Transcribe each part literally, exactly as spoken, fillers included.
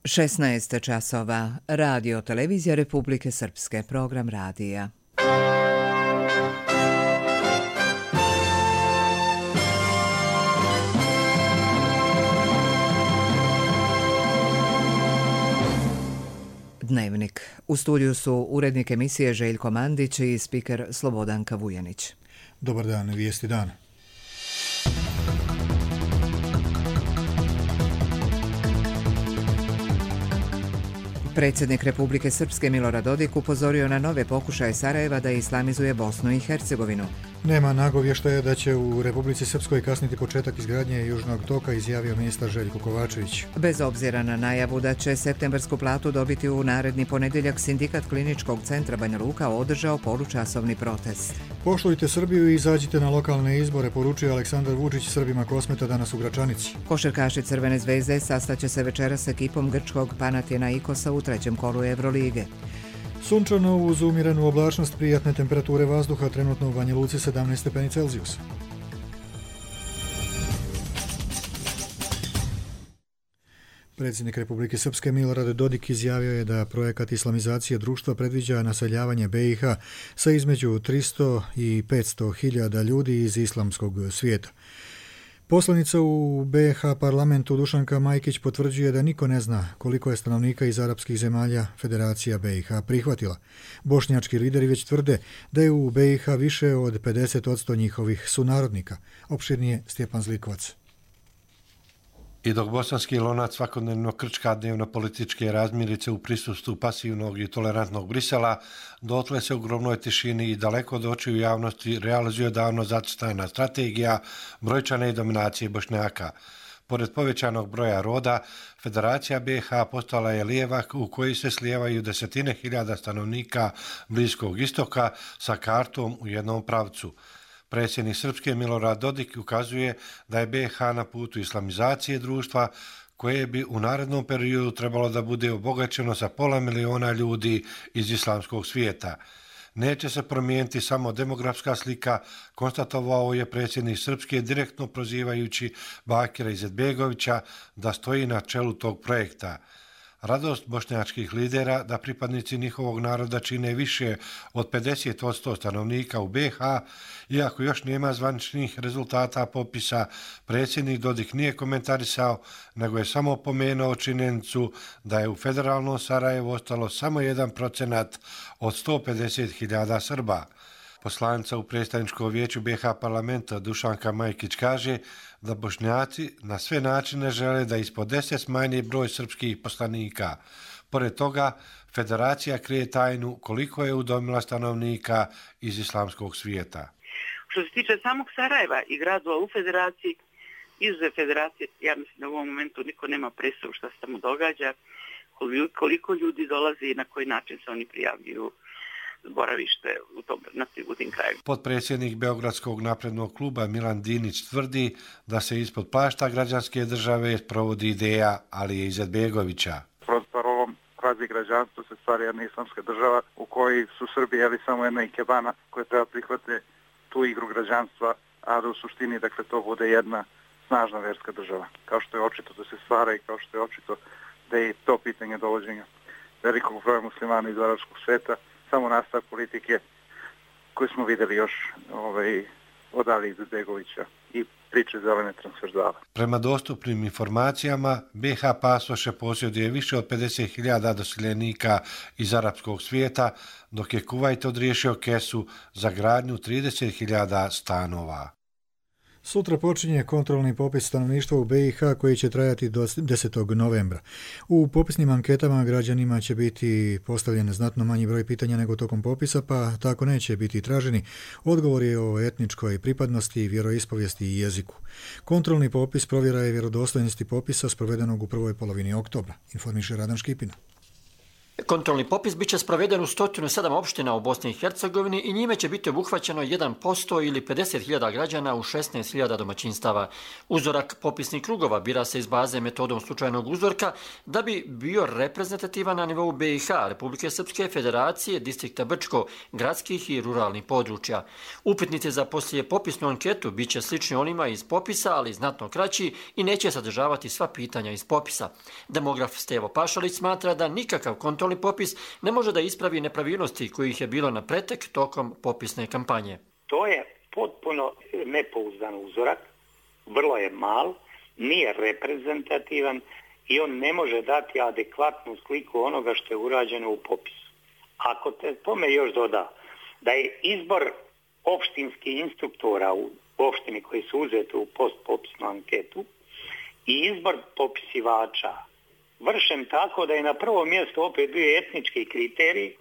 šesnaest časova. Radio Televizija Republike Srpske. Program radija. Dnevnik. U studiju su urednik emisije Željko Mandić i spiker Slobodanka Vujanić. Dobar dan, vijesti dana. Predsjednik Republike Srpske Milorad Dodik upozorio na nove pokušaje Sarajeva da islamizuje Bosnu i Hercegovinu. Nema nagovještaja da će u Republici Srpskoj kasniti početak izgradnje Južnog toka, izjavio ministar Željko Kovačević. Bez obzira na najavu da će septembersku platu dobiti u naredni ponedjeljak, sindikat Kliničkog centra Banja Luka održao polučasovni protest. Poštujte Srbiju i izađite na lokalne izbore, poručio Aleksandar Vučić Srbima Kosmeta danas u Gračanici. Košarkaši Crvene zvezde sastaće se večeras s ekipom grčkog Panathinaikosa u trećem kolu Evrolige. Sunčano uz umjerenu oblačnost, prijatne temperature vazduha, trenutno u Banja Luci sedamnaest stepeni Celzijusa. Predsjednik Republike Srpske Milorad Dodik izjavio je da projekat islamizacije društva predviđa naseljavanje be i ha sa između tristo i petsto hiljada ljudi iz islamskog svijeta. Poslanica u be ha parlamentu Dušanka Majkić potvrđuje da niko ne zna koliko je stanovnika iz arapskih zemalja Federacija be i ha prihvatila. Bošnjački lideri već tvrde da je u be i ha više od pedeset posto njihovih sunarodnika. Opširnije Stjepan Zlikovac. I dok bosanski lonac svakodnevno krčka dnevno-političke razmirice u prisustvu pasivnog i tolerantnog Brisela, dotle se u ogromnoj tišini i daleko od očiju javnosti realizuje davno zacrtana strategija brojčane dominacije Bošnjaka. Pored povećanog broja roda, Federacija be i ha postala je lijevak u koji se slijevaju desetine hiljada stanovnika Bliskog istoka sa kartom u jednom pravcu. Predsjednik Srpske Milorad Dodik ukazuje da je be i ha na putu islamizacije društva koje bi u narednom periodu trebalo da bude obogaćeno sa pola miliona ljudi iz islamskog svijeta. Neće se promijeniti samo demografska slika, konstatovao je predsjednik Srpske direktno prozivajući Bakira Izetbegovića da stoji na čelu tog projekta. Radost bošnjačkih lidera da pripadnici njihovog naroda čine više od pedeset posto stanovnika u be i ha, iako još nema zvaničnih rezultata popisa, predsjednik Dodik nije komentarisao, nego je samo pomenuo činjenicu da je u federalnom Sarajevu ostalo samo jedan procenat od sto pedeset hiljada Srba. Poslanica u predstavničkom vijeću be i ha parlamenta Dušanka Majkić kaže da Bošnjaci na sve načine žele da ispod deset smanji broj srpskih poslanika. Pored toga, Federacija krije tajnu koliko je udomila stanovnika iz islamskog svijeta. Što se tiče samog Sarajeva i gradova u Federaciji, izuzev Federacije, ja mislim da u ovom momentu niko nema predstavu šta se tamo događa, koliko ljudi dolazi i na koji način se oni prijavljuju boravište u, tom, u tim krajima. Potpredsjednik Beogradskog naprednog kluba Milan Dinić tvrdi da se ispod plašta građanske države provodi ideja Alije Izetbegovića. Pod parolom kvazi građanstvo se stvari jedna islamska država u kojoj su Srbi jeli samo jedna ikebana koja treba prihvate tu igru građanstva, a da u suštini dakle, to bude jedna snažna verska država. Kao što je očito da se stvara i kao što je očito da je to pitanje dovođenja velikog broja muslimana iz arapskog sveta samo nastavak politike koju smo vidjeli još ovaj, od Alije Izetbegovića i priče zelene transverzale. Prema dostupnim informacijama, be i ha pasoše posjeduje više od pedeset hiljada doseljenika iz arapskog svijeta, dok je Kuvajt odriješio kesu za gradnju trideset hiljada stanova. Sutra počinje kontrolni popis stanovništva u be i ha koji će trajati do desetog novembra. U popisnim anketama građanima će biti postavljen znatno manji broj pitanja nego tokom popisa, pa tako neće biti traženi odgovori o etničkoj pripadnosti, vjeroispovijesti i jeziku. Kontrolni popis provjera je vjerodostojnosti popisa sprovedenog u prvoj polovini oktobra, informiše Radan Škipina. Kontrolni popis biće sproveden u sto sedam opština u Bosni i Hercegovini i njime će biti obuhvaćeno jedan posto ili pedeset hiljada građana u šesnaest hiljada domaćinstava. Uzorak popisnih krugova bira se iz baze metodom slučajnog uzorka da bi bio reprezentativan na nivou B i H, Republike Srpske, Federacije, distrikta Brčko, gradskih i ruralnih područja. Upitnici za poslije popisnu anketu bit će slični onima iz popisa, ali znatno kraći i neće sadržavati sva pitanja iz popisa. Demograf Stevo Pašalić smatra da nikakav kontrolni popis ne može da ispravi nepravilnosti kojih je bilo na pretek tokom popisne kampanje. To je potpuno nepouzdan uzorak, vrlo je mal, nije reprezentativan i on ne može dati adekvatnu sliku onoga što je urađeno u popisu. Ako te tome još doda da je izbor opštinskih instruktora u opštini koji su uzeti u postpopisnu anketu i izbor popisivača vršen tako da je na prvo mjesto opet bio etnički kriterij,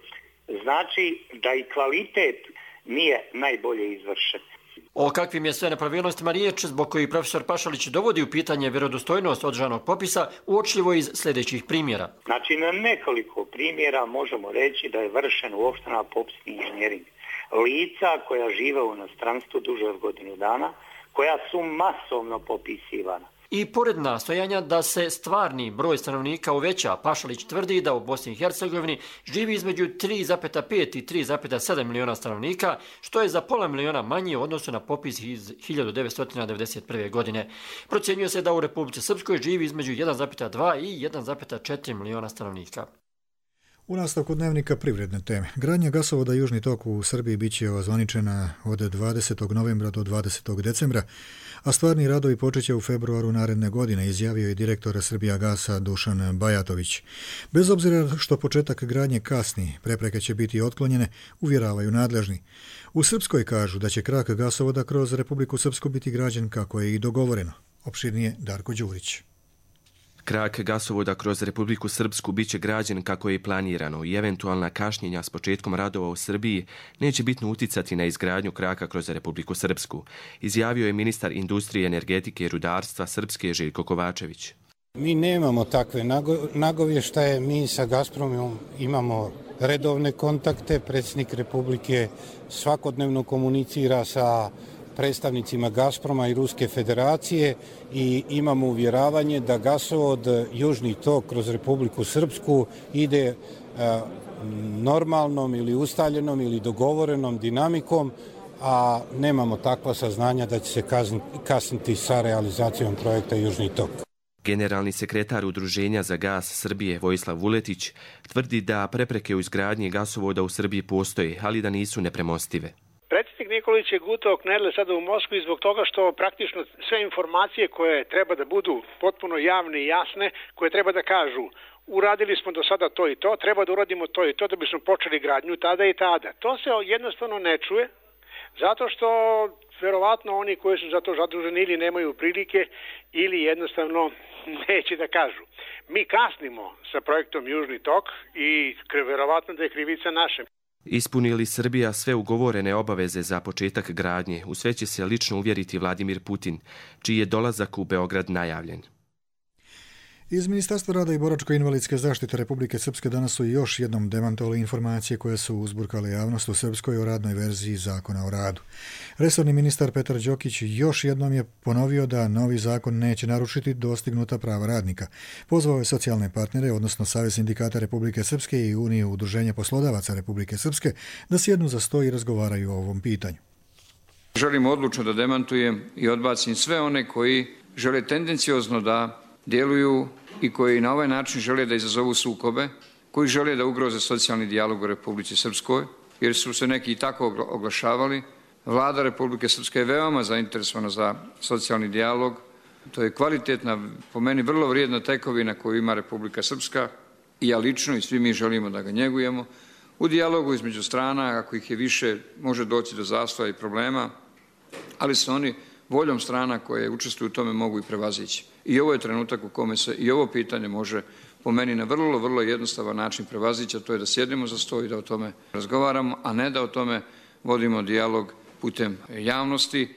znači da i kvalitet nije najbolje izvršen. O kakvim je sve nepravilnostima riječ zbog koji profesor Pašalić dovodi u pitanje vjerodostojnost održanog popisa uočljivo iz sljedećih primjera. Znači na nekoliko primjera možemo reći da je vršen u opštinama popisni inženjering. Lica koja žive u inostranstvu duže od godinu dana, koja su masovno popisivana. I pored nastojanja da se stvarni broj stanovnika uveća, Pašalić tvrdi da u Bosni i Hercegovini živi između tri zarez pet i tri zarez sedam miliona stanovnika, što je za pola miliona manje u odnosu na popis iz hiljadu devetsto devedeset prve. godine. Procjenjuje se da u Republici Srpskoj živi između jedan zarez dva i jedan zarez četiri miliona stanovnika. U nastavku dnevnika privredne teme. Gradnja gasovoda Južni tok u Srbiji bit će ozvaničena od dvadesetog novembra do dvadesetog decembra, a stvarni radovi počeće u februaru naredne godine, izjavio je direktor Srbijagasa Dušan Bajatović. Bez obzira što početak gradnje kasni, prepreke će biti otklonjene, uvjeravaju nadležni. U Srpskoj kažu da će krak gasovoda kroz Republiku Srpsku biti građen kako je i dogovoreno. Opširnije Darko Đurić. Krak gasovoda kroz Republiku Srpsku biće građen kako je i planirano i eventualna kašnjenja s početkom radova u Srbiji neće bitno uticati na izgradnju kraka kroz Republiku Srpsku, izjavio je ministar industrije, energetike i rudarstva Srpske Željko Kovačević. Mi nemamo takve nagovještaje, mi sa Gazpromom imamo redovne kontakte, predsjednik Republike svakodnevno komunicira sa predstavnicima Gazproma i Ruske federacije i imamo uvjeravanje da gasovod Južni tok kroz Republiku Srpsku ide normalnom ili ustaljenom ili dogovorenom dinamikom, a nemamo takva saznanja da će se kasniti sa realizacijom projekta Južni tok. Generalni sekretar Udruženja za gas Srbije Vojislav Vuletić tvrdi da prepreke u izgradnji gasovoda u Srbiji postoje, ali da nisu nepremostive. Predsjednik Nikolić je gutao knedle sada u Moskvi zbog toga što praktično sve informacije koje treba da budu potpuno javne i jasne, koje treba da kažu uradili smo do sada to i to, treba da uradimo to i to da bismo počeli gradnju tada i tada. To se jednostavno ne čuje, zato što verovatno oni koji su za to zaduženi ili nemaju prilike ili jednostavno neće da kažu. Mi kasnimo sa projektom Južni tok i verovatno da je krivica naše. Ispuni li Srbija sve ugovorene obaveze za početak gradnje, u sve će se lično uvjeriti Vladimir Putin, čiji je dolazak u Beograd najavljen. Iz Ministarstva rada i boračko-invalidske zaštite Republike Srpske danas su još jednom demantovali informacije koje su uzburkale javnost u Srpskoj o radnoj verziji Zakona o radu. Resorni ministar Petar Đokić još jednom je ponovio da novi zakon neće narušiti dostignuta prava radnika. Pozvao je socijalne partnere, odnosno Savez sindikata Republike Srpske i Uniju udruženja poslodavaca Republike Srpske, da sjednu za sto i razgovaraju o ovom pitanju. Želim odlučno da demantujem i odbacim sve one koji žele tendenciozno da djeluju i koji na ovaj način žele da izazovu sukobe, koji žele da ugroze socijalni dijalog u Republici Srpskoj, jer su se neki i tako oglašavali. Vlada Republike Srpske je veoma zainteresovana za socijalni dijalog. To je kvalitetna, po meni vrlo vrijedna tekovina koju ima Republika Srpska i ja lično i svi mi želimo da ga njegujemo. U dijalogu između strana, ako ih je više, može doći do zastoja i problema, ali se oni voljom strana koje učestvuju u tome mogu i prevazići. I ovo je trenutak u kome se i ovo pitanje može po meni na vrlo, vrlo jednostavan način prevazići, a to je da sjedimo za sto i da o tome razgovaramo, a ne da o tome vodimo dijalog putem javnosti.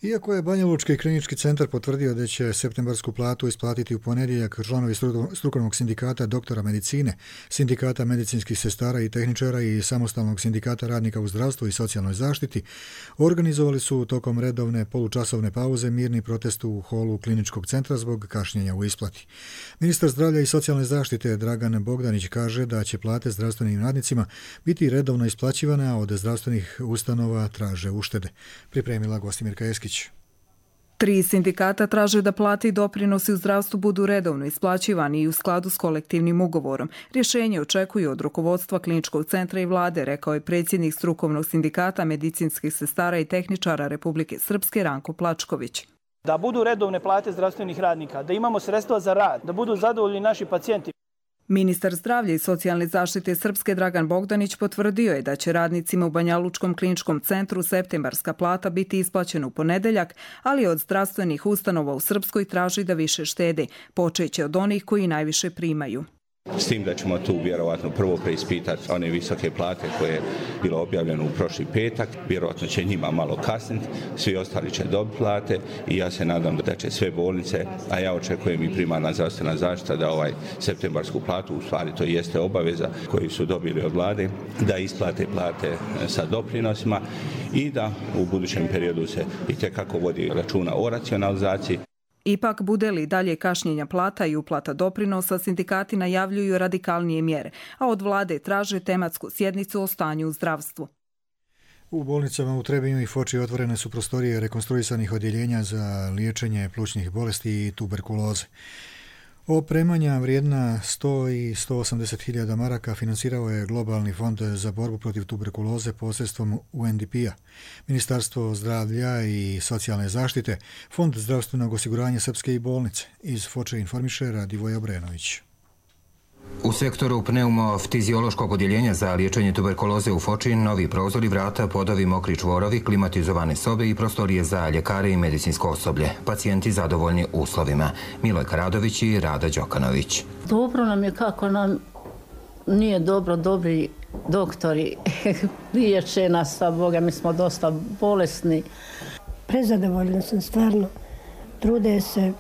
Iako je Banjalučki klinički centar potvrdio da će septembarsku platu isplatiti u ponedjeljak, članovi strukovnog sindikata doktora medicine, sindikata medicinskih sestara i tehničara i samostalnog sindikata radnika u zdravstvu i socijalnoj zaštiti organizovali su tokom redovne polučasovne pauze mirni protest u holu kliničkog centra zbog kašnjenja u isplati. Ministar zdravlja i socijalne zaštite Dragan Bogdanić kaže da će plate zdravstvenim radnicima biti redovno isplaćivane, a od zdravstvenih ustanova traže uštede. Pripremila Gostimirka Eskić. Tri sindikata traže da plate i doprinosi u zdravstvu budu redovno isplaćivani i u skladu s kolektivnim ugovorom. Rješenje očekuju od rukovodstva kliničkog centra i vlade, rekao je predsjednik strukovnog sindikata medicinskih sestara i tehničara Republike Srpske Ranko Plačković. Da budu redovne plate zdravstvenih radnika, da imamo sredstva za rad, da budu zadovoljni naši pacijenti. Ministar zdravlja i socijalne zaštite Srpske Dragan Bogdanić potvrdio je da će radnicima u Banjalučkom kliničkom centru septembarska plata biti isplaćena u ponedeljak, ali od zdravstvenih ustanova u Srpskoj traži da više štede, počeće od onih koji najviše primaju. S tim da ćemo tu vjerovatno prvo preispitati one visoke plate koje je bilo objavljeno u prošli petak. Vjerovatno će njima malo kasniti, svi ostali će dobiti plate i ja se nadam da će sve bolnice, a ja očekujem i primarna zdravstvena zaštita da ovaj septembarsku platu, u stvari to jeste obaveza koju su dobili od vlade, da isplate plate sa doprinosima i da u budućem periodu se itekako vodi računa o racionalizaciji. Ipak, bude li dalje kašnjenja plata i uplata doprinosa, sindikati najavljuju radikalnije mjere, a od vlade traže tematsku sjednicu o stanju u zdravstvu. U bolnicama u Trebinju i Foči otvorene su prostorije rekonstruisanih odjeljenja za liječenje plućnih bolesti i tuberkuloze. Opremanja vrijedna sto i sto osamdeset hiljada maraka financirao je Globalni fond za borbu protiv tuberkuloze posredstvom U N D P-a, Ministarstvo zdravlja i socijalne zaštite, Fond zdravstvenog osiguranja Srpske i bolnice. Iz Foče informiše Radivoje Obrenović. U sektoru pneumoftiziološkog odjeljenja za liječenje tuberkuloze u Foči novi prozori, vrata, podovi, mokri čvorovi, klimatizovane sobe i prostorije za ljekare i medicinsko osoblje. Pacijenti zadovoljni uslovima. Milojka Radović i Rada Đokanović. Dobro nam je, kako nam nije dobro, dobri doktori liječe nas, a Boga, mi smo dosta bolesni. Prezadovoljna sam stvarno. Trude se,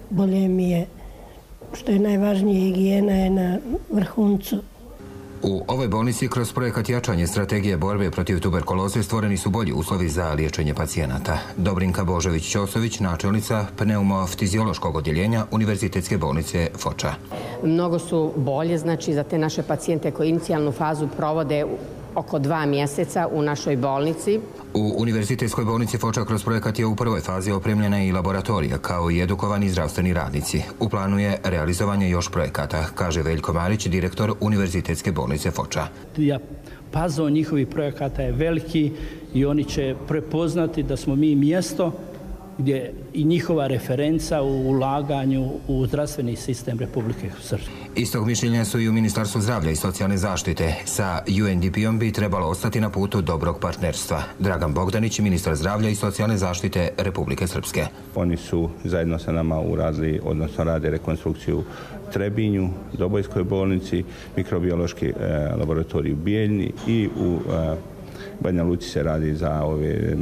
bolje mi je. Što je najvažnije, higijena je na vrhuncu. U ovoj bolnici kroz projekat jačanje strategije borbe protiv tuberkuloze stvoreni su bolji uslovi za liječenje pacijenata. Dobrinka Božović-Ćosović, načelnica pneumoftiziološkog odjeljenja Univerzitetske bolnice Foča. Mnogo su bolje, znači, za te naše pacijente koji inicijalnu fazu provode oko dva mjeseca u našoj bolnici. U Univerzitetskoj bolnici Foča kroz projekat je u prvoj fazi opremljena i laboratorija, kao i edukovani zdravstveni radnici. U planu je realizovanje još projekata, kaže Veljko Marić, direktor Univerzitetske bolnice Foča. Pazon njihovih projekata je veliki i oni će prepoznati da smo mi mjesto gdje i njihova referenca u ulaganju u zdravstveni sistem Republike Srpske. Istog mišljenja su i u Ministarstvu zdravlja i socijalne zaštite. Sa U N D P-om bi trebalo ostati na putu dobrog partnerstva. Dragan Bogdanić, ministar zdravlja i socijalne zaštite Republike Srpske. Oni su zajedno sa nama uradili, odnosno rade rekonstrukciju Trebinju, Dobojskoj bolnici, mikrobiološki e, laboratorij u Bijeljni i u e, Banja Luci se radi za ove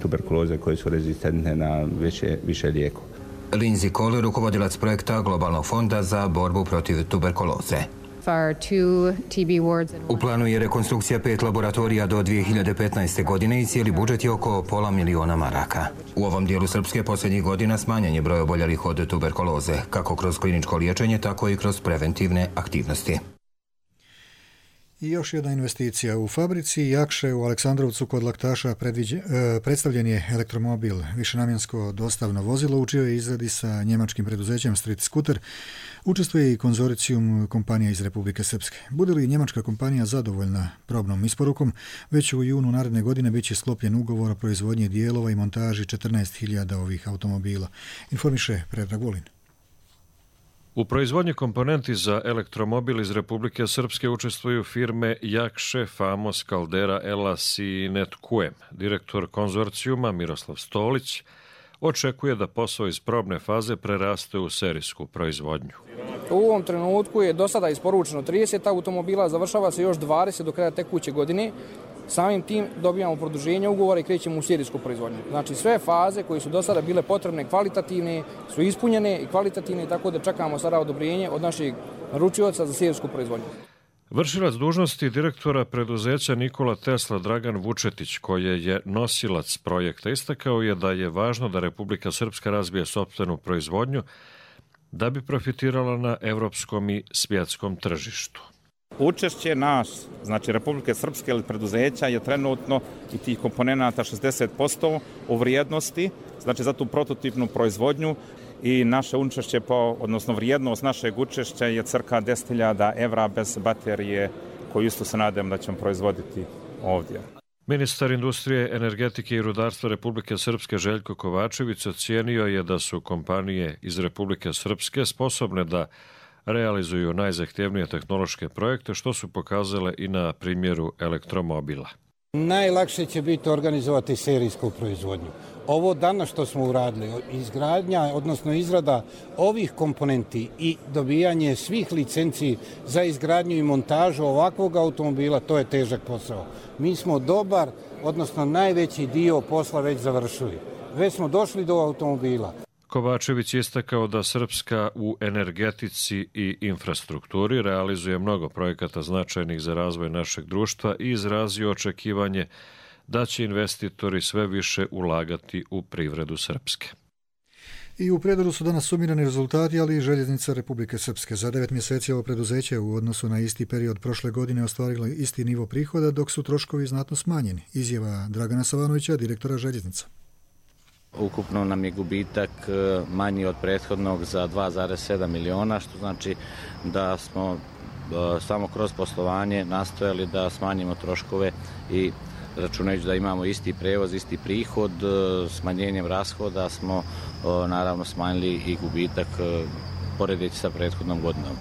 tuberkuloze koje su rezistentne na više, više lijekova. Lindsay Cole, rukovodilac projekta Globalnog fonda za borbu protiv tuberkuloze. U planu je rekonstrukcija pet laboratorija do dvije hiljade petnaeste. godine i cijeli budžet je oko pola miliona maraka. U ovom dijelu Srpske posljednjih godina smanjen je broj oboljelih od tuberkuloze, kako kroz kliničko liječenje, tako i kroz preventivne aktivnosti. I još jedna investicija. U fabrici Jakše u Aleksandrovcu kod Laktaša predviđe, e, predstavljen je elektromobil, višenamjensko dostavno vozilo, u čijoj izradi sa njemačkim preduzećem Street Scooter učestvuje i konzorcijum kompanija iz Republike Srpske. Bude li njemačka kompanija zadovoljna probnom isporukom, već u junu naredne godine bit će sklopljen ugovor o proizvodnji dijelova i montaži četrnaest hiljada ovih automobila, informiše Predrag Vulin. U proizvodnji komponenti za elektromobil iz Republike Srpske učestvuju firme Jakše, Famos, Caldera, Elas i Netkuem. Direktor konzorcijuma Miroslav Stolić očekuje da posao iz probne faze preraste u serijsku proizvodnju. U ovom trenutku je do sada isporučeno trideset automobila, završava se još dvadeset do kraja tekuće godine. Samim tim dobijamo produženje ugovora i krećemo u serijsku proizvodnju. Znači sve faze koje su do sada bile potrebne kvalitativne su ispunjene i kvalitativne, tako da čekamo sada odobrenje od našeg naručioca za serijsku proizvodnju. Vršilac dužnosti direktora preduzeća Nikola Tesla Dragan Vučetić, koji je nosilac projekta, istakao je da je važno da Republika Srpska razvije sopstvenu proizvodnju da bi profitirala na evropskom i svjetskom tržištu. Učešće nas, znači Republike Srpske ili preduzeća, je trenutno i tih komponenata šezdeset posto u vrijednosti, znači za tu prototipnu proizvodnju, i naše učešće, po, odnosno vrijednost našeg učešća je cirka deset hiljada evra bez baterije, koju isto se nadam da ćemo proizvoditi ovdje. Ministar industrije, energetike i rudarstva Republike Srpske Željko Kovačević ocijenio je da su kompanije iz Republike Srpske sposobne da realizuju najzahtjevnije tehnološke projekte, što su pokazale i na primjeru elektromobila. Najlakše će biti organizovati serijsku proizvodnju. Ovo danas što smo uradili, izgradnja, odnosno izrada ovih komponenti i dobijanje svih licenci za izgradnju i montažu ovakvog automobila, to je težak posao. Mi smo dobar, odnosno najveći dio posla već završili. Već smo došli do automobila. Kovačević je istakao da Srpska u energetici i infrastrukturi realizuje mnogo projekata značajnih za razvoj našeg društva i izrazio očekivanje da će investitori sve više ulagati u privredu Srpske. I u Prijedoru su danas sumirani rezultati, ali i Željeznica Republike Srpske. Za devet mjeseci ovo preduzeće u odnosu na isti period prošle godine ostvarilo isti nivo prihoda, dok su troškovi znatno smanjeni. Izjava Dragana Savanovića, direktora Željeznica. Ukupno nam je gubitak manji od prethodnog za dva zarez sedam miliona, što znači da smo samo kroz poslovanje nastojali da smanjimo troškove i računajući da imamo isti prevoz, isti prihod, smanjenjem rashoda smo naravno smanjili i gubitak poredeći sa prethodnom godinom.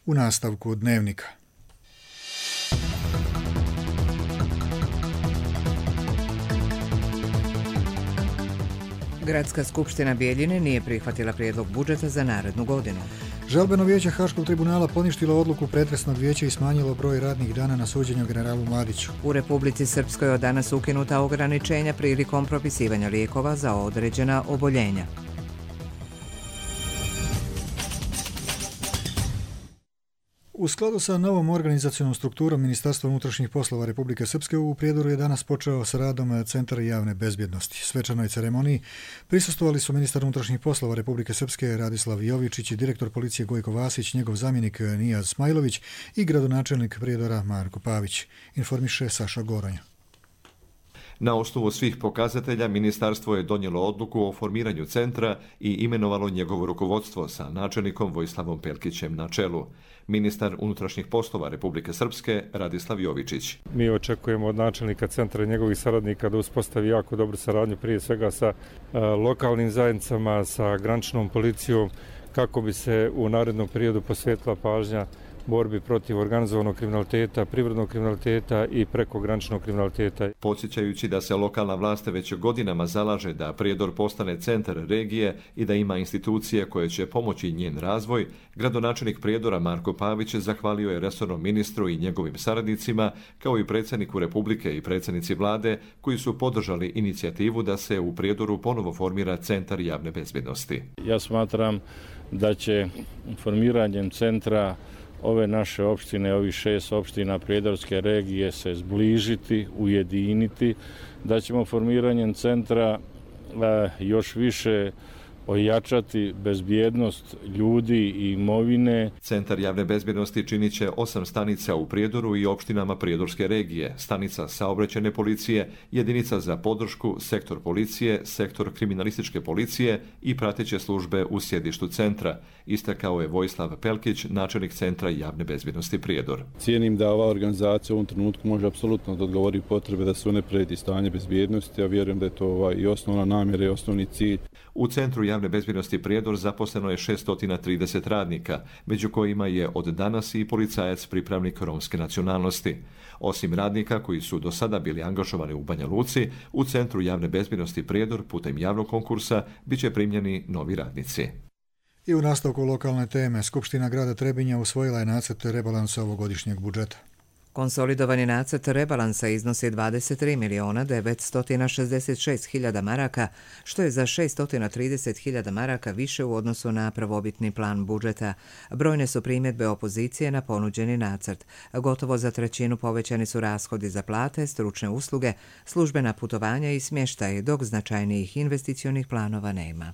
U nastavku Dnevnika. Gradska skupština Bijeljine nije prihvatila prijedlog budžeta za narednu godinu. Žalbeno vijeće Haškog tribunala poništilo odluku pretresnog vijeća i smanjilo broj radnih dana na suđenju generalu Mladiću. U Republici Srpskoj od danas ukinuta ograničenja prilikom propisivanja lijekova za određena oboljenja. U skladu sa novom organizacionom strukturom Ministarstva unutrašnjih poslova Republike Srpske u Prijedoru je danas počeo sa radom Centar javne bezbjednosti. Svečanoj ceremoniji prisustvovali su ministar unutrašnjih poslova Republike Srpske Radislav Jovičić i direktor policije Gojko Vasić, njegov zamjenik Nijaz Smajlović i gradonačelnik Prijedora Marko Pavić, informiše Saša Goronja. Na osnovu svih pokazatelja, ministarstvo je donijelo odluku o formiranju centra i imenovalo njegovo rukovodstvo sa načelnikom Vojislavom Pelkićem na čelu. Ministar unutrašnjih poslova Republike Srpske Radislav Jovičić. Mi očekujemo od načelnika centra i njegovih saradnika da uspostavi jako dobru saradnju, prije svega sa a, lokalnim zajednicama, sa graničnom policijom, kako bi se u narednom periodu posvetila pažnja borbi protiv organizovanog kriminaliteta, privrednog kriminaliteta i prekograničnog kriminaliteta. Podsjećajući da se lokalna vlast već godinama zalaže da Prijedor postane centar regije i da ima institucije koje će pomoći njen razvoj, gradonačelnik Prijedora Marko Pavić zahvalio je resornom ministru i njegovim saradnicima, kao i predsjedniku Republike i predsjednici vlade, koji su podržali inicijativu da se u Prijedoru ponovo formira centar javne bezbjednosti. Ja smatram da će formiranjem centra ove naše opštine, ovih šest opština Prijedorske regije se zbližiti, ujediniti, da ćemo formiranjem centra a, još više ojačati bezbjednost ljudi i imovine. Centar javne bezbjednosti činit će osam stanica u Prijedoru i opštinama Prijedorske regije, stanica saobraćajne policije, jedinica za podršku, sektor policije, sektor kriminalističke policije i prateće službe u sjedištu centra, istakao je Vojislav Pelkić, načelnik Centra javne bezbjednosti Prijedor. Cijenim da ova organizacija u ovom trenutku može apsolutno da odgovori potrebe da se unapredi stanje bezbjednosti, a vjerujem da je to ovaj i osnovna namjera i osnovni cilj. U Centru javne bezbjednosti Prijedor zaposleno je šesto trideset radnika, među kojima je od danas i policajac pripravnik romske nacionalnosti. Osim radnika koji su do sada bili angažovani u Banja Luci, u Centru javne bezbjednosti Prijedor putem javnog konkursa bit će primljeni novi radnici. I u nastavku lokalne teme, Skupština grada Trebinja usvojila je nacrt rebalansa ovogodišnjeg budžeta. Konsolidovani nacrt rebalansa iznosi dvadeset tri miliona devetsto šezdeset šest hiljada maraka, što je za šesto trideset hiljada maraka više u odnosu na prvobitni plan budžeta. Brojne su primjedbe opozicije na ponuđeni nacrt. Gotovo za trećinu povećani su rashodi za plate, stručne usluge, službena putovanja i smještaj, dok značajnijih investicionih planova nema.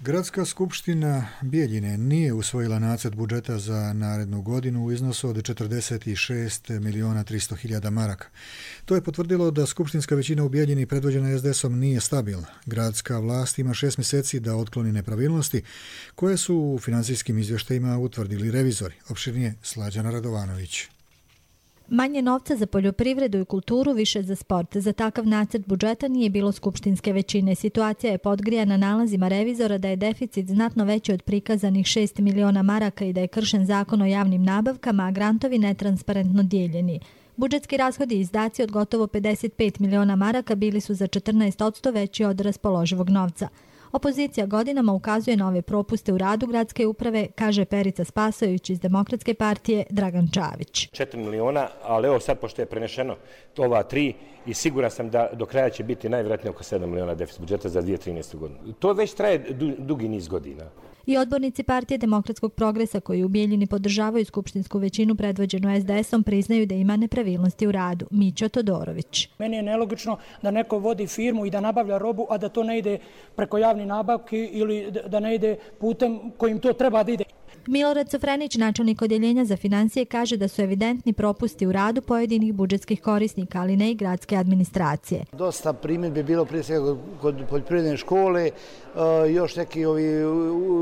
Gradska skupština Bijeljine nije usvojila nacrt budžeta za narednu godinu u iznosu od četrdeset šest miliona tristo hiljada maraka. To je potvrdilo da skupštinska većina u Bijeljini predvođena es de esom nije stabilna. Gradska vlast ima šest mjeseci da otkloni nepravilnosti koje su u financijskim izvještajima utvrdili revizori. Opširnije Slađana Radovanović. Manje novca za poljoprivredu i kulturu, više za sport. Za takav nacrt budžeta nije bilo skupštinske većine. Situacija je podgrijana nalazima revizora da je deficit znatno veći od prikazanih šest miliona maraka i da je kršen zakon o javnim nabavkama, a grantovi netransparentno dijeljeni. Budžetski rashodi i izdaci od gotovo pedeset pet miliona maraka bili su za četrnaest posto veći od raspoloživog novca. Opozicija godinama ukazuje na ove propuste u radu gradske uprave, kaže Perica Spasojević iz Demokratske partije Dragan Čavić. četiri miliona, ali evo sad pošto je prenešeno ova tri i siguran sam da do kraja će biti najvjerojatnije oko sedam miliona deficit budžeta za dvije tisuće trinaestu godinu. To već traje du, dugi niz godina. I odbornici partije Demokratskog progresa koji u Bijeljini podržavaju skupštinsku većinu predvođenu es de esom priznaju da ima nepravilnosti u radu. Mićo Todorović. Meni je nelogično da neko vodi firmu i da nabavlja robu, a da to ne ide preko javnih nabavki ili da ne ide putem kojim to treba da ide. Milorad Sofrenić, načelnik odjeljenja za financije, kaže da su evidentni propusti u radu pojedinih budžetskih korisnika, ali ne i gradske administracije. Dosta primjedbi bilo prije svega kod poljoprivredne škole, još neki ovi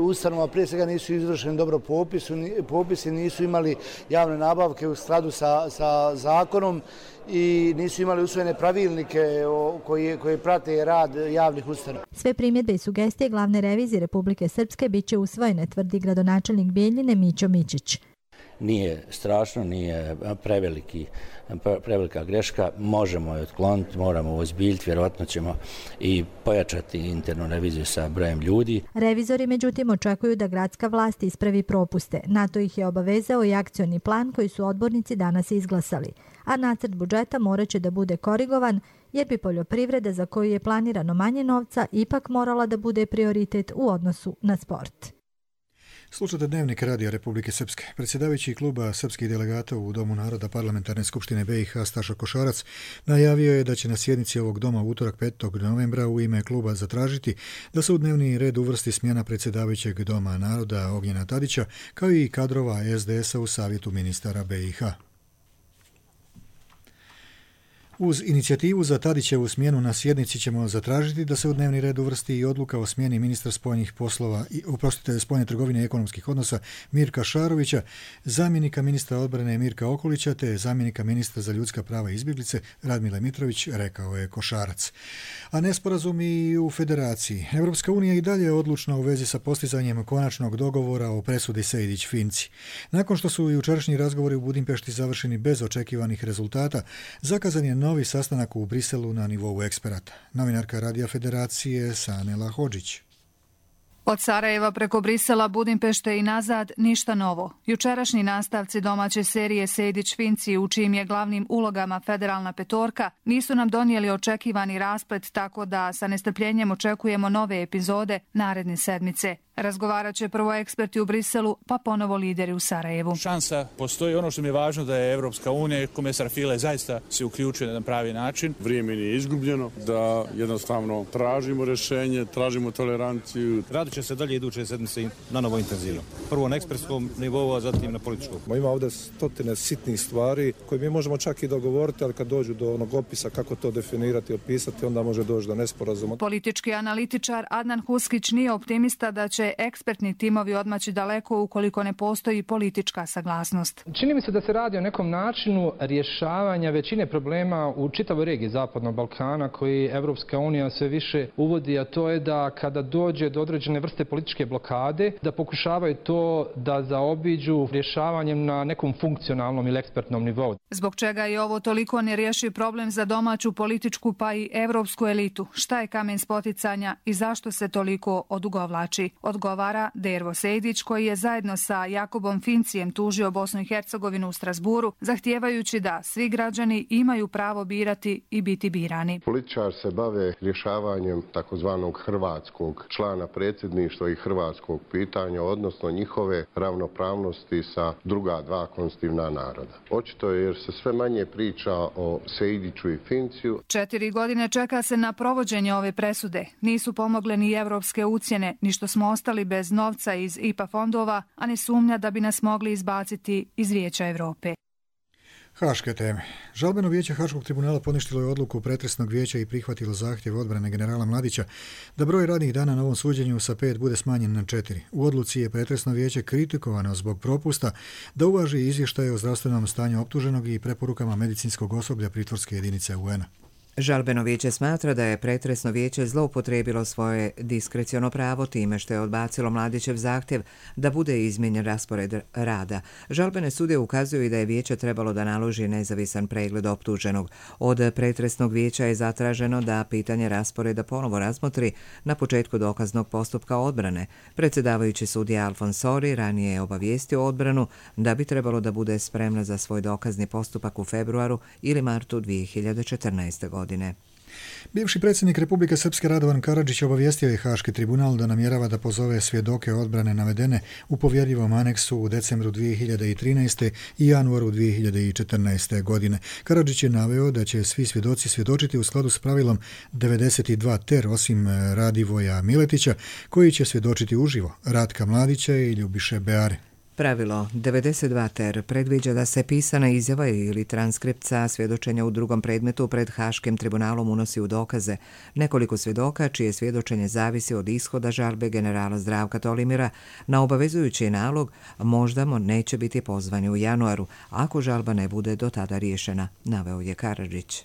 ustanova prije svega nisu izvršeni dobro popisu, popisi, nisu imali javne nabavke u skladu sa, sa zakonom i nisu imali usvojene pravilnike koji, koji prate rad javnih ustanova. Sve primjedbe i sugestije glavne revizije Republike Srpske bit će usvojene, tvrdi gradonačelnik Bijeljine Mićo Mičić. Nije strašno, nije preveliki, prevelika greška, možemo je otkloniti, moramo ozbiljiti, vjerojatno ćemo i pojačati internu reviziju sa brojem ljudi. Revizori međutim očekuju da gradska vlast ispravi propuste. Na to ih je obavezao i akcioni plan koji su odbornici danas izglasali. A nacrt budžeta morat će da bude korigovan jer bi poljoprivreda za koju je planirano manje novca ipak morala da bude prioritet u odnosu na sport. Slušate Dnevnik Radija Republike Srpske. Predsjedavajući kluba srpskih delegata u Domu naroda Parlamentarne skupštine be i ha Staša Košarac najavio je da će na sjednici ovog doma u utorak petog novembra u ime kluba zatražiti da se u dnevni red uvrsti smjena predsjedavajućeg Doma naroda Ognjena Tadića kao i kadrova es de esa u savjetu ministara be i ha. Uz inicijativu za Tadićevu smjenu na sjednici ćemo zatražiti da se u dnevni red uvrsti i odluka o smjeni ministra spoljnih poslova i oprostite spoljne trgovine i ekonomskih odnosa Mirka Šarovića, zamjenika ministra odbrane Mirka Okolića te zamjenika ministra za ljudska prava i izbjeglice Radmila Mitrović, rekao je Košarac. A nesporazum i u federaciji. Evropska unija i dalje je odlučna u vezi sa postizanjem konačnog dogovora o presudi Sejdić-Finci. Nakon što su jučerašnji razgovori u Budimpešti završeni bez očekivanih rezultata, zakazan je novi sastanak u Briselu na nivou eksperata. Novinarka Radija Federacije Sanela Hodžić. Od Sarajeva preko Brisela, Budimpešte i nazad ništa novo. Jučerašnji nastavci domaće serije Sejdić-Finci, u čijim je glavnim ulogama federalna petorka, nisu nam donijeli očekivani rasplet, tako da sa nestrpljenjem očekujemo nove epizode naredne sedmice. Razgovarat će prvo eksperti u Briselu, pa ponovo lideri u Sarajevu. Šansa postoji. Ono što mi je važno da je Evropska unija i komesar File zaista se uključuje na pravi način. Vrijeme nije izgubljeno, da jednostavno tražimo rješenje, tražimo toleranciju. Radit će se dalje iduće sedmice na novo intenzivno. Prvo na ekspertskom nivou, a zatim na političkom. Ima ovdje stotine sitnih stvari koje mi možemo čak i dogovoriti, ali kad dođu do onog opisa kako to definirati i opisati, onda može doći do nesporazuma. Politički analitičar Adnan Huskić nije optimista da će ekspertni timovi odmaći daleko ukoliko ne postoji politička saglasnost. Čini mi se da se radi o nekom načinu rješavanja većine problema u čitavoj regiji Zapadnog Balkana koji Evropska unija sve više uvodi, a to je da kada dođe do određene vrste političke blokade, da pokušavaju to da zaobiđu rješavanjem na nekom funkcionalnom ili ekspertnom nivou. Zbog čega je ovo toliko nerješiv problem za domaću političku pa i evropsku elitu? Šta je kamen spoticanja i zašto se toliko odugovlači? odgovara Dervo Sejdić, koji je zajedno sa Jakobom Fincijem tužio Bosnu i Hercegovinu u Strasburu, zahtijevajući da svi građani imaju pravo birati i biti birani. Političar se bave rješavanjem takozvanog hrvatskog člana predsjedništva i hrvatskog pitanja, odnosno njihove ravnopravnosti sa druga dva konstitutivna naroda. Očito je jer se sve manje priča o Sejdiću i Finciju. Četiri godine čeka se na provođenje ove presude. Nisu pomogle ni evropske ucjene, ni što smo ostali bez novca iz I P A fondova, a ni sumnja da bi nas mogli izbaciti iz Vijeća Evrope. Haške teme. Žalbeno vijeće Haškog tribunala poništilo je odluku pretresnog vijeća i prihvatilo zahtjev odbrane generala Mladića da broj radnih dana na ovom suđenju sa pet bude smanjen na četiri. U odluci je pretresno vijeće kritikovano zbog propusta da uvaži izvještaje o zdravstvenom stanju optuženog i preporukama medicinskog osoblja pritvorske jedinice U N-a. Žalbeno vijeće smatra da je pretresno vijeće zloupotrijebilo svoje diskreciono pravo time što je odbacilo Mladićev zahtjev da bude izmijenjen raspored rada. Žalbene sudije ukazuju i da je vijeće trebalo da naloži nezavisan pregled optuženog. Od pretresnog vijeća je zatraženo da pitanje rasporeda ponovo razmotri na početku dokaznog postupka odbrane. Predsjedavajući sudija Alfonsori ranije je obavijestio odbranu da bi trebalo da bude spremna za svoj dokazni postupak u februaru ili martu dvije hiljade četrnaeste. godine. Bivši predsjednik Republike Srpske Radovan Karadžić obavijestio je Haški tribunal da namjerava da pozove svjedoke odbrane navedene u povjerljivom aneksu u decembru dvije hiljade trinaeste. i januaru dvije hiljade četrnaeste. godine. Karadžić je naveo da će svi svjedoci svjedočiti u skladu s pravilom devedeset dva ter osim Radivoja Miletića koji će svjedočiti uživo, Ratka Mladića i Ljubiše Beare. Pravilo devedeset dva ter predviđa da se pisana izjava ili transkripta svjedočenja u drugom predmetu pred Haškim tribunalom unosi u dokaze. Nekoliko svjedoka, čije svjedočenje zavisi od ishoda žalbe generala Zdravka Tolimira na obavezujući nalog, možda mu neće biti pozvani u januaru, ako žalba ne bude do tada riješena, naveo je Karadžić.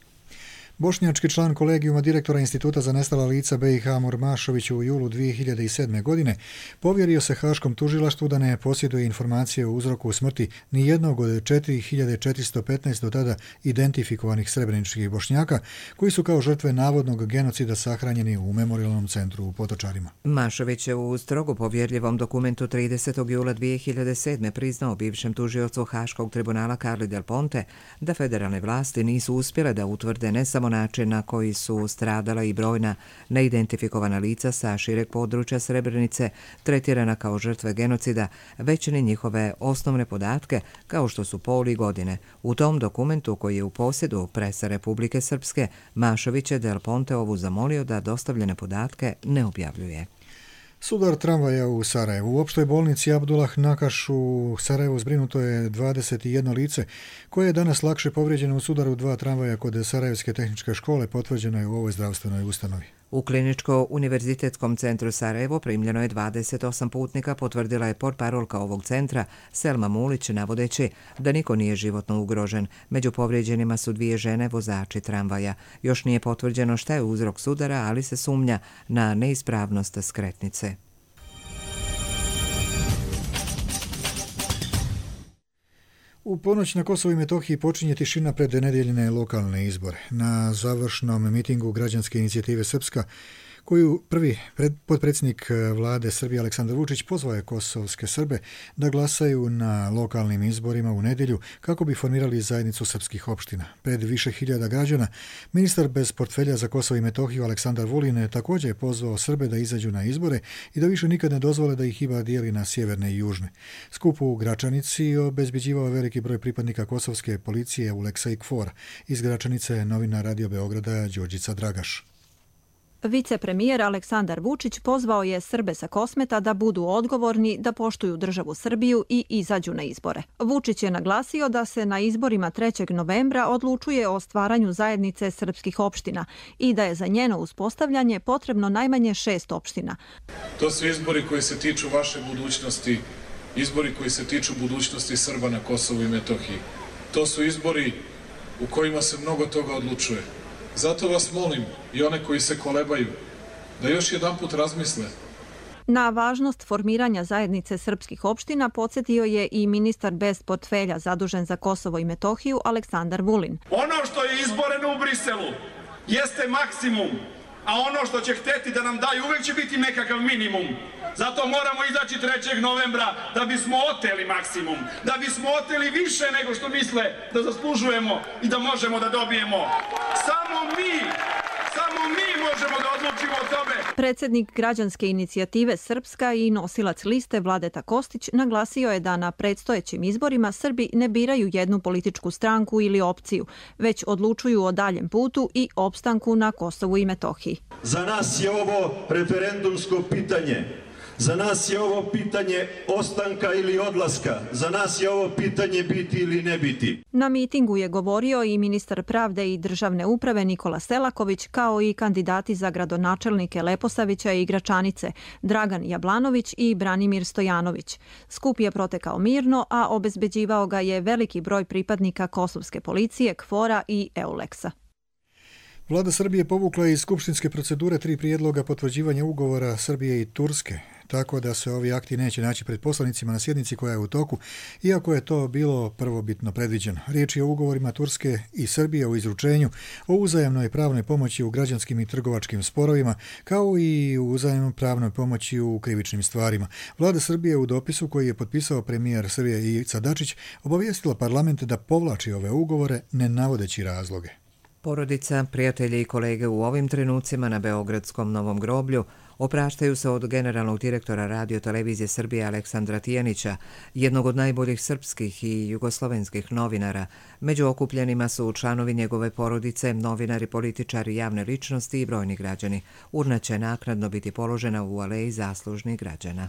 Bošnjački član kolegijuma direktora Instituta za nestala lica B i H Amor Mašović u julu dvije hiljade sedme. godine povjerio se Haškom tužilaštvu da ne posjeduje informacije o uzroku smrti ni jednog od četiri hiljade četiristo petnaest do tada identifikovanih srebreničkih Bošnjaka koji su kao žrtve navodnog genocida sahranjeni u memorijalnom centru u Potočarima. Mašović je u strogo povjerljivom dokumentu tridesetog jula dvije hiljade sedme. priznao bivšem tužiocu Haškog tribunala Carli Del Ponte da federalne vlasti nisu uspjele da utvrde ne samo način na koji su stradala i brojna neidentifikovana lica sa šireg područja Srebrenice tretirana kao žrtve genocida, već ni njihove osnovne podatke kao što su pol i godine. U tom dokumentu koji je u posjedu presa Republike Srpske, Mašović je Del Ponteovu zamolio da dostavljene podatke ne objavljuje. Sudar tramvaja u Sarajevu. U opštoj bolnici Abdullah Nakaš u Sarajevu zbrinuto je dvadeset jedno lice koje je danas lakše povrijeđeno u sudaru dva tramvaja kod Sarajevske tehničke škole, potvrđeno je u ovoj zdravstvenoj ustanovi. U Kliničko-univerzitetskom centru Sarajevo primljeno je dvadeset osam putnika, potvrdila je portparolka ovog centra Selma Mulić, navodeći da niko nije životno ugrožen. Među povrijeđenima su dvije žene vozači tramvaja. Još nije potvrđeno šta je uzrok sudara, ali se sumnja na neispravnost skretnice. U ponoć na Kosovu i Metohiji počinje tišina pred nedjeljne lokalne izbore. Na završnom mitingu građanske inicijative Srpska, koju prvi potpredsjednik vlade Srbije Aleksandar Vučić pozvao je kosovske Srbe da glasaju na lokalnim izborima u nedjelju kako bi formirali zajednicu srpskih opština. Pred više hiljada građana, ministar bez portfelja za Kosovo i Metohiju Aleksandar Vulin također je pozvao Srbe da izađu na izbore i da više nikad ne dozvole da ih Iba dijeli na sjeverne i južne. Skup u Gračanici obezbeđivao veliki broj pripadnika kosovske policije u Leksa i Kfor. Iz Gračanice novina Radio Beograda Đorđica Dragaš. Vicepremijer Aleksandar Vučić pozvao je Srbe sa Kosmeta da budu odgovorni, da poštuju državu Srbiju i izađu na izbore. Vučić je naglasio da se na izborima trećeg novembra odlučuje o stvaranju zajednice srpskih opština i da je za njeno uspostavljanje potrebno najmanje šest opština. To su izbori koji se tiču vaše budućnosti, izbori koji se tiču budućnosti Srba na Kosovu i Metohiji. To su izbori u kojima se mnogo toga odlučuje. Zato vas molim i one koji se kolebaju da još jedan put razmisle. Na važnost formiranja zajednice srpskih opština podsjetio je i ministar bez portfelja zadužen za Kosovo i Metohiju Aleksandar Vulin. Ono što je izboreno u Briselu jeste maksimum a ono što će hteti da nam daju uvek će biti nekakav minimum. Zato moramo izaći trećeg novembra da bismo oteli maksimum, da bismo oteli više nego što misle da zaslužujemo i da možemo da dobijemo. Samo mi, samo mi možemo da odlučimo o tome. Predsjednik građanske inicijative Srpska i nosilac liste Vladeta Kostić naglasio je da na predstojećim izborima Srbi ne biraju jednu političku stranku ili opciju, već odlučuju o daljem putu i opstanku na Kosovu i Metohiji. Za nas je ovo referendumsko pitanje. Za nas je ovo pitanje ostanka ili odlaska. Za nas je ovo pitanje biti ili ne biti. Na mitingu je govorio i ministar pravde i državne uprave Nikola Selaković, kao i kandidati za gradonačelnike Leposavića i Gračanice, Dragan Jablanović i Branimir Stojanović. Skup je protekao mirno, a obezbeđivao ga je veliki broj pripadnika kosovske policije, KFOR-a i EULEX-a. Vlada Srbije povukla iz skupštinske procedure tri prijedloga potvrđivanja ugovora Srbije i Turske, tako da se ovi akti neće naći pred poslanicima na sjednici koja je u toku, iako je to bilo prvobitno predviđeno. Riječ je o ugovorima Turske i Srbije o izručenju, o uzajamnoj pravnoj pomoći u građanskim i trgovačkim sporovima, kao i u uzajamnoj pravnoj pomoći u krivičnim stvarima. Vlada Srbije u dopisu koji je potpisao premijer Srbije Ivica Dačić obavijestila parlament da povlači ove ugovore ne navodeći razloge. Porodica, prijatelji i kolege u ovim trenucima na Beogradskom Novom groblju opraštaju se od generalnog direktora Radio televizije Srbije Aleksandra Tijanića, jednog od najboljih srpskih i jugoslovenskih novinara. Među okupljenima su članovi njegove porodice, novinari, političari, javne ličnosti i brojni građani. Urna će naknadno biti položena u aleji zaslužnih građana.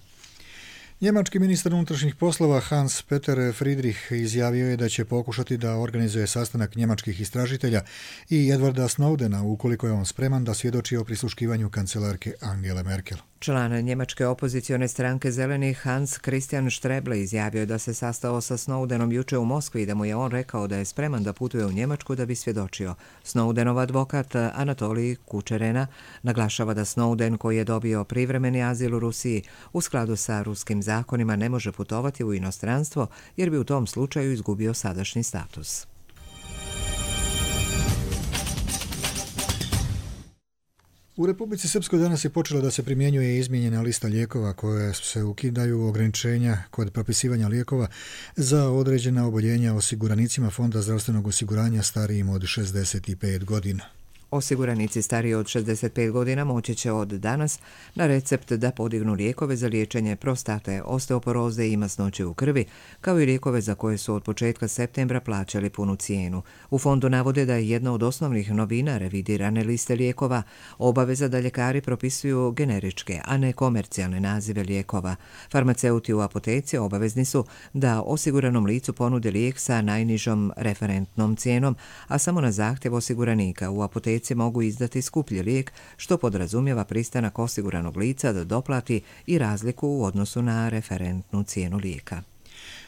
Njemački ministar unutrašnjih poslova Hans Peter Friedrich izjavio je da će pokušati da organizuje sastanak njemačkih istražitelja i Edwarda Snowdena ukoliko je on spreman da svjedoči o prisluškivanju kancelarke Angele Merkel. Član njemačke opozicione stranke Zelenih Hans Christian Streble izjavio je da se sastao sa Snowdenom juče u Moskvi i da mu je on rekao da je spreman da putuje u Njemačku da bi svjedočio. Snowdenov advokat Anatolij Kučerena naglašava da Snowden, koji je dobio privremeni azil u Rusiji, u skladu sa ruskim zakonima ne može putovati u inostranstvo jer bi u tom slučaju izgubio sadašnji status. U Republici Srpskoj danas je počela da se primjenjuje izmijenjena lista lijekova koje se ukidaju ograničenja kod propisivanja lijekova za određena oboljenja osiguranicima Fonda zdravstvenog osiguranja starijim od šezdeset pet godina. Osiguranici stariji od šezdeset pet godina moći će od danas na recept da podignu lijekove za liječenje prostate, osteoporoze i masnoće u krvi, kao i lijekove za koje su od početka septembra plaćali punu cijenu. U fondu navode da je jedna od osnovnih novina revidirane liste lijekova obaveza da ljekari propisuju generičke, a ne komercijalne nazive lijekova. Farmaceuti u apoteci obavezni su da osiguranom licu ponude lijek sa najnižom referentnom cijenom, a samo na zahtjev osiguranika u apoteci mogu izdati skuplji lijek, što podrazumijeva pristanak osiguranog lica da doplati i razliku u odnosu na referentnu cijenu lijeka.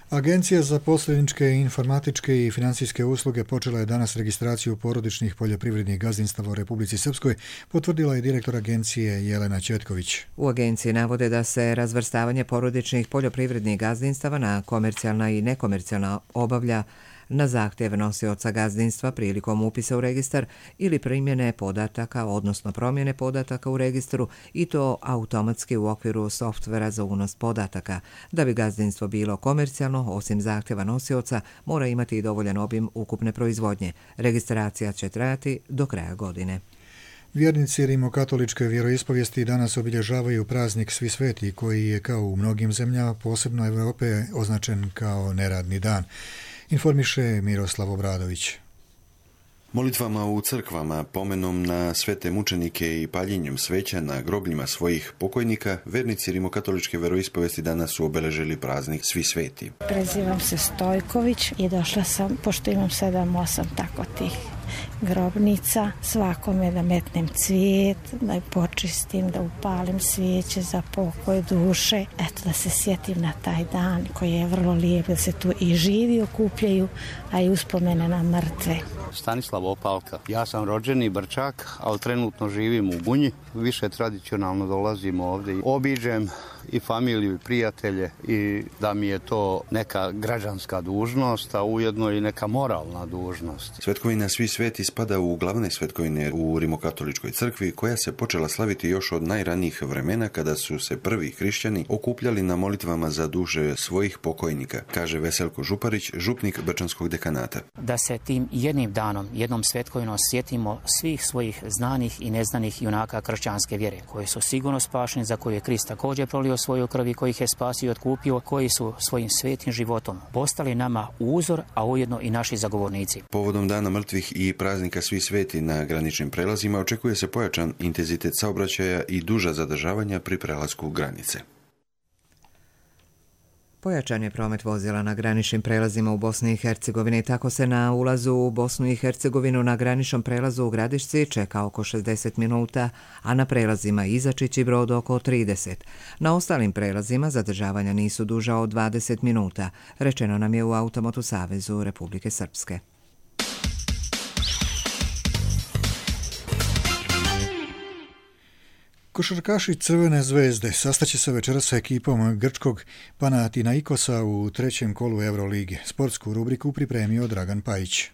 Agencija za posredničke, informatičke i financijske usluge počela je danas registraciju porodičnih poljoprivrednih gazdinstava u Republici Srpskoj, potvrdila je direktor agencije Jelena Četković. U agenciji navode da se razvrstavanje porodičnih poljoprivrednih gazdinstava na komercijalna i nekomercijalna obavlja na zahtjev nosioca gazdinstva prilikom upisa u registar ili primjene podataka, odnosno promjene podataka u registru, i to automatski u okviru softvera za unos podataka. Da bi gazdinstvo bilo komercijalno, osim zahtjeva nosioca, mora imati i dovoljan obim ukupne proizvodnje. Registracija će trajati do kraja godine. Vjernici rimokatoličke vjeroispovijesti danas obilježavaju praznik Svi sveti, koji je kao u mnogim zemljama, posebno Evrope, označen kao neradni dan. Informiše Miroslav Obradović. Molitvama u crkvama, pomenom na svete mučenike i paljenjem sveća na grobljima svojih pokojnika, vernici rimokatoličke veroispovesti danas su obeležili praznik Svi sveti. Prezivam se Stojković i došla sam, pošto imam sedam osam tako tih grobnica, svakome da metnem cvijet, da je počistim, da upalim svijeće za pokoj duše. Eto, da se sjetim na taj dan koji je vrlo lijep, da se tu i živi okupljaju, a i uspomene na mrtve. Stanislav Opalka. Ja sam rođeni Brčak, ali trenutno živim u Gunji. Više tradicionalno dolazim ovdje. Obiđem i familiju i prijatelje i da mi je to neka građanska dužnost, a ujedno i neka moralna dužnost. Svetkovina Svi sveti spada u glavne svetkovine u Rimokatoličkoj crkvi, koja se počela slaviti još od najranijih vremena kada su se prvi hrišćani okupljali na molitvama za duše svojih pokojnika, kaže Veselko Župarić, župnik Brčanskog dekanata. Da se tim jednim danom, jednom svetkovinom sjetimo svih svojih znanih i neznanih junaka kršćanske vjere, koji su sigurno spašeni, za koje je Krist također prolio svoju krv i koji ih je spasio i otkupio, koji su svojim svetim životom postali nama uzor, a ujedno i naši zagovornici. Povodom Dana mrtvih i praznika Svi sveti na graničnim prelazima očekuje se pojačan intenzitet saobraćaja i duža zadržavanja pri prelasku granice. Pojačan je promet vozila na graničnim prelazima u Bosni i Hercegovini. Tako se na ulazu u Bosnu i Hercegovinu na graničnom prelazu u Gradišci čeka oko šezdeset minuta, a na prelazima Izačić i Brod oko trideset. Na ostalim prelazima zadržavanja nisu duža od dvadeset minuta, rečeno nam je u Automotu Savezu Republike Srpske. Košarkaši Crvene zvezde sastaće se večeras sa ekipom grčkog Panathinaikosa u trećem kolu Eurolige. Sportsku rubriku pripremio Dragan Pajić.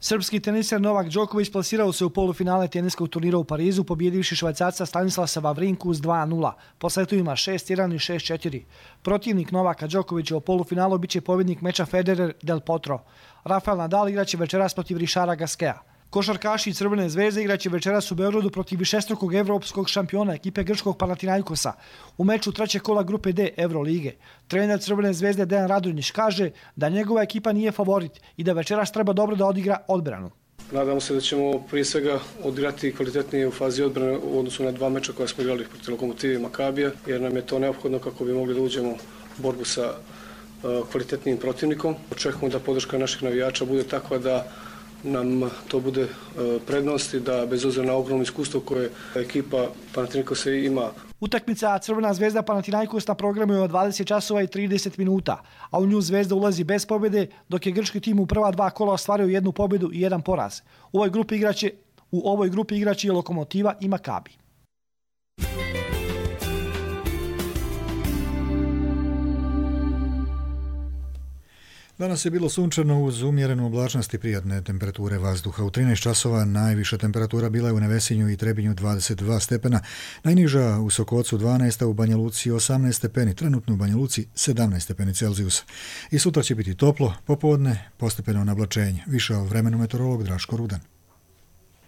Srpski teniser Novak Đoković plasirao se u polufinale teniskog turnira u Parizu, pobjedivši Švajcarca Stanislava Wawrinku s dva nula, po setovima šest jedan i šest četiri. Protivnik Novaka Đokovića u polufinalu biće pobjednik meča Federer Del Potro. Rafael Nadal igraće večeras protiv Richarda Gasqueta. Košarkaši Crvene zvezde igraće večeras u Beogradu protiv višestrukog evropskog šampiona ekipe grčkog Panathinaikosa u meču trećeg kola grupe D Eurolige. Trener Crvene zvezde Dejan Radonjić kaže da njegova ekipa nije favorit i da večeras treba dobro da odigra odbranu. Nadamo se da ćemo prije svega odigrati kvalitetnije u fazi odbrane u odnosu na dva meča koja smo igrali protiv Lokomotive i Makabija, jer nam je to neophodno kako bi mogli da uđemo u borbu sa kvalitetnijim protivnikom. Očekujemo da podrška naših navijača bude takva da nam to bude prednost i da bez obzira na ogromno iskustvo koje ekipa Panathinaikosa ima. Utakmica Crvena zvezda Panathinaikos na programu je od dvadeset časova i trideset minuta, a u nju Zvezda ulazi bez pobjede, dok je grčki tim u prva dva kola ostvario jednu pobjedu i jedan poraz. U ovoj grupi igraće, u ovoj grupi igraće i Lokomotiva i Makabi. Danas je bilo sunčano uz umjerenu oblačnost i prijatne temperature vazduha. U trinaest časova najviša temperatura bila je u Nevesinju i Trebinju dvadeset dva stepena, najniža u Sokocu dvanaest, a u Banja Luci osamnaest stepeni, trenutno u Banja Luci sedamnaest stepeni Celzijusa. I sutra će biti toplo, popodne postepeno nablačenje. Više o vremenu meteorolog Draško Rudan.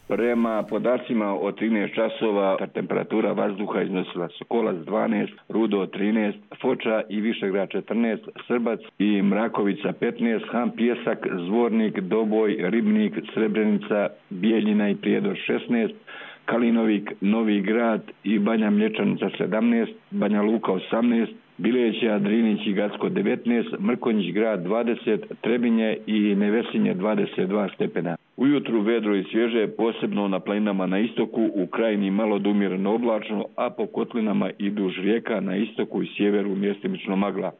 Prema podacima od trinaest časova temperatura vazduha iznosila Sokolac dvanaest, Rudo trinaest, Foča i Višegrad četrnaest, Srbac i Mrakovica petnaest, Han Pjesak, Zvornik, Doboj, Ribnik, Srebrenica, Bijeljina i Prijedor šesnaest, Kalinovik, Novi Grad i Banja Mlječanica sedamnaest, Banja Luka osamnaest, Bileća, Drinić i Gacko devetnaest, Mrkonjić grad dvadeset, Trebinje i Nevesinje dvadeset dva stepena. Ujutru vedro i svježe, posebno na planinama na istoku, u krajini malo do umjereno oblačno, a po kotlinama i duž rijeka na istoku i sjeveru mjestimično magla.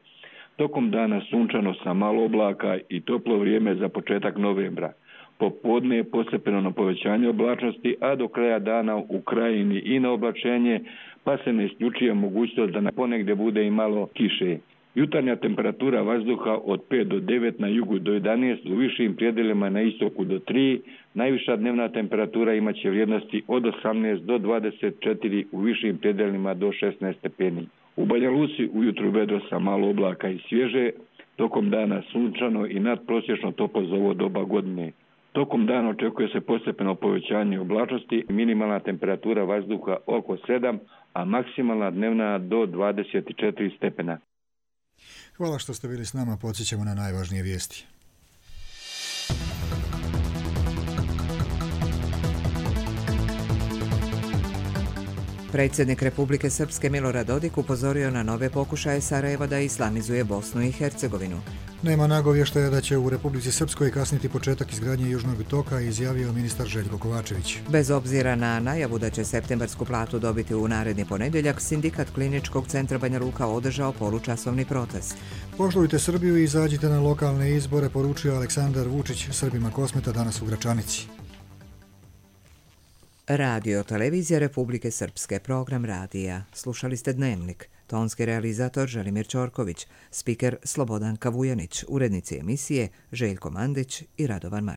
Tokom dana sunčano sa malo oblaka i toplo vrijeme za početak novembra. Popodne je postepeno na povećanje oblačnosti, a do kraja dana u krajini i na oblačenje, pa se ne isključuje mogućnost da ponegdje bude i malo kiše. Jutarnja temperatura vazduha od pet do devet, na jugu do jedanaest, u višim predjelima na istoku do tri, najviša dnevna temperatura imaće vrijednosti od osamnaest do dvadeset četiri, u višim predjelima do šesnaest stepeni. U Banja Luci ujutru vedro sa malo oblaka i svježe, tokom dana sunčano i nadprosječno toplo za ovo doba godine. Tokom dana očekuje se postepeno povećanje oblačnosti, minimalna temperatura vazduha oko sedam, a maksimalna dnevna do dvadeset četiri stepena. Hvala što ste bili s nama, podsjećamo na najvažnije vijesti. Predsjednik Republike Srpske Milorad Dodik upozorio na nove pokušaje Sarajeva da islamizuje Bosnu i Hercegovinu. Nema nagovještaja da će u Republici Srpskoj kasniti početak izgradnje Južnog toka, izjavio ministar Željko Kovačević. Bez obzira na najavu da će septembarsku platu dobiti u naredni ponedjeljak, sindikat Kliničkog centra Banja Luka održao polučasovni protest. Poštujte Srbiju i izađite na lokalne izbore, poručio Aleksandar Vučić Srbima Kosmeta danas u Gračanici. Radio televizija Republike Srpske, program radija. Slušali ste Dnevnik. Tonski realizator Želimir Ćorković, spiker Slobodan Kavujanić, urednici emisije Željko Mandić i Radovan Marković.